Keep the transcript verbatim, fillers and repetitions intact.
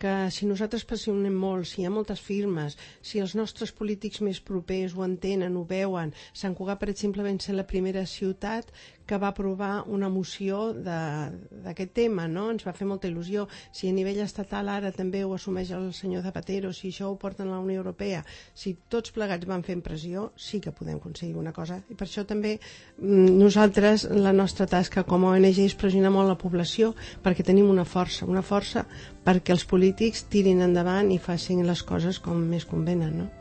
que si nosaltres pressionem molt, si hi ha moltes firmes, si els nostres polítics més propers ho entenen, ho veuen. Sant Cugat, per exemple, va ser la primera ciutat que va aprovar una moció d'aquest tema, no? Ens va fer molta il·lusió. Si a nivell estatal ara també ho assumeix el senyor Zapatero, si això ho porten a la Unió Europea, si tots plegats van fent pressió, sí que podem aconseguir una cosa. I per això també nosaltres, la nostra tasca com a O N G és pressionar molt la població perquè tenim una força, una força perquè els polítics tirin endavant i facin les coses com més convenen, no?